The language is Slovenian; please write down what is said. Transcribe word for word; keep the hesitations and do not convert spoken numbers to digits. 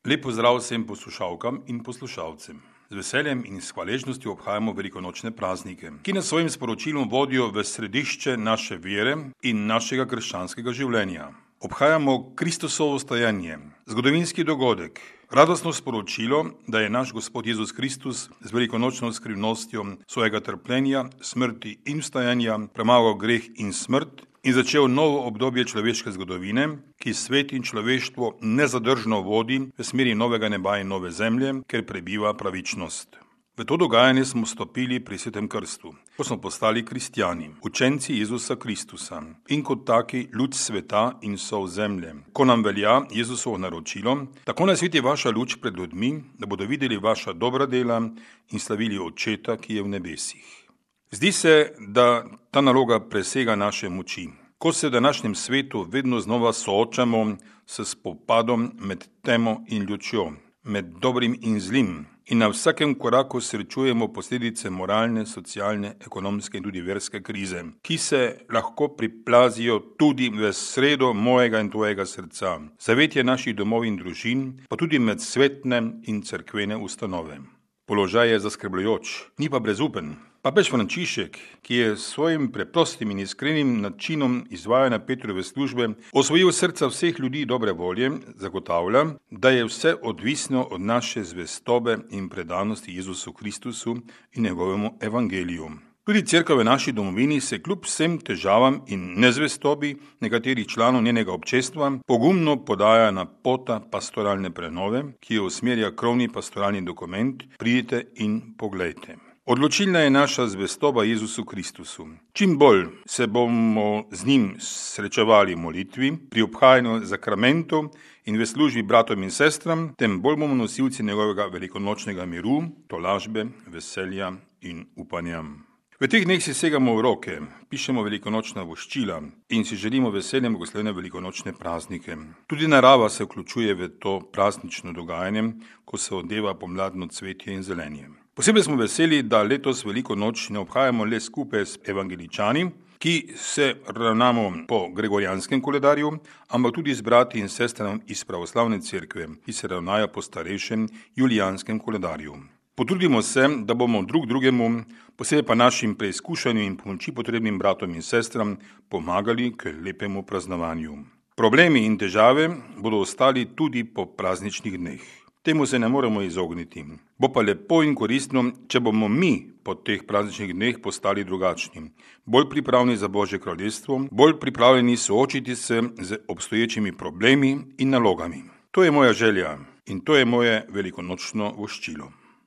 Lep pozdrav vsem poslušalkam in poslušalcem. Z veseljem in s hvaležnostjo obhajamo velikonočne praznike, ki nas svojim sporočilom vodijo v središče naše vere in našega krščanskega življenja. Obhajamo Kristusovo vstajanje, zgodovinski dogodek, radostno sporočilo, da je naš Gospod Jezus Kristus z velikonočno skrivnostjo svojega trpljenja, smrti in vstajanja premagal greh in smrt in začel novo obdobje človeške zgodovine, ki svet in človeštvo nezadržno vodi v smeri novega neba in nove zemlje, ker prebiva pravičnost. V to dogajanje smo stopili pri svetem krstu, ko smo postali kristjani, učenci Jezusa Kristusa in kot taki luč sveta in sol zemlje. Ko nam velja Jezusovo naročilo, tako naj sveti vaša luč pred ljudmi, da bodo videli vaša dobra dela in slavili Očeta, ki je v nebesih. Zdi se, da ta naloga presega naše moči. Ko se v današnjem svetu vedno znova soočamo s spopadom med temo in lučjo, med dobrim in zlim, in na vsakem koraku srečujemo posledice moralne, socialne, ekonomske in tudi verske krize, ki se lahko priplazijo tudi v sredo mojega in tvojega srca, zavetje naših domov in družin, pa tudi med svetne in cerkvene ustanove. Položaj je zaskrbljujoč, ni pa brezupen. Papež Frančišek, ki je s svojim preprostim in iskrenim načinom izvajanja Petrove službe osvojil srca vseh ljudi dobre volje, zagotavlja, da je vse odvisno od naše zvestobe in predanosti Jezusu Kristusu in njegovemu evangeliju. Tudi cerkev v naši domovini se kljub vsem težavam in nezvestobi nekaterih članov njenega občestva pogumno podaja na pota pastoralne prenove, ki jo usmerja krovni pastoralni dokument Pridite in poglejte. Odločilna je naša zvestoba Jezusu Kristusu. Čim bolj se bomo z njim srečevali v molitvi, pri obhajanju zakramentov in v službi bratom in sestram, tem bolj bomo nosilci njegovega velikonočnega miru, tolažbe, veselja in upanja. V teh dneh si segamo v roke, pišemo velikonočna voščila in si želimo veselje blagoslovljene velikonočne praznike. Tudi narava se vključuje v to praznično dogajanje, ko se odeva pomladno cvetje in zelenje. Posebej smo veseli, da letos veliko noč ne obhajamo le skupaj s evangeličani, ki se ravnamo po gregorijanskem koledarju, ampak tudi z brati in sestrami iz pravoslavne cerkve, ki se ravnajo po starejšem julijanskem koledarju. Potrudimo se, da bomo drug drugemu, posebej pa našim preizkušanju in pomoči potrebnim bratom in sestram, pomagali k lepemu praznovanju. Problemi in težave bodo ostali tudi po prazničnih dneh. Temu se ne moremo izogniti. Bo pa lepo in koristno, če bomo mi po teh prazničnih dneh postali drugačni, bolj pripravljeni za Božje kraljestvo, bolj pripravljeni soočiti se z obstoječimi problemi in nalogami. To je moja želja in to je moje velikonočno voščilo.